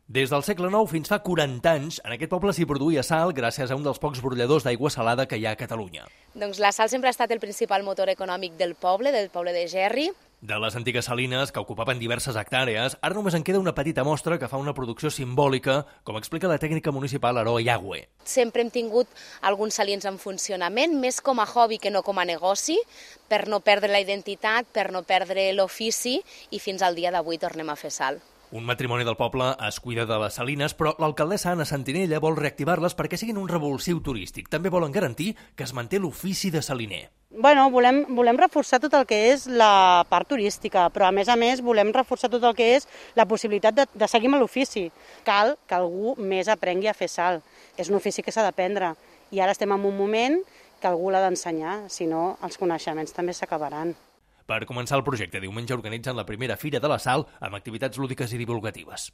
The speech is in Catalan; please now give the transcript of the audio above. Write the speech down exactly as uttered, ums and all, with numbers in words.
Des del segle nou fins fa quaranta anys, en aquest poble s'hi produïa sal gràcies a un dels pocs brolladors d'aigua salada que hi ha a Catalunya. Doncs la sal sempre ha estat el principal motor econòmic del poble, del poble de Gerri. De les antigues salines, que ocupaven diverses hectàrees, ara només en queda una petita mostra que fa una producció simbòlica, com explica la tècnica municipal Aroa Yagüe. Sempre hem tingut alguns salins en funcionament, més com a hobby que no com a negoci, per no perdre la identitat, per no perdre l'ofici, i fins al dia d'avui tornem a fer sal. Un matrimoni del poble es cuida de les salines, però l'alcaldessa Anna Sentinella vol reactivar-les perquè siguin un revulsiu turístic. També volen garantir que es manté l'ofici de saliner. Bueno, volem, volem reforçar tot el que és la part turística, però a més a més volem reforçar tot el que és la possibilitat de, de seguir amb l'ofici. Cal que algú més aprengui a fer sal. És un ofici que s'ha d'aprendre i ara estem en un moment que algú l'ha d'ensenyar, si no els coneixements també s'acabaran. Per començar el projecte, diumenge organitzen la primera Fira de la Sal amb activitats lúdiques i divulgatives.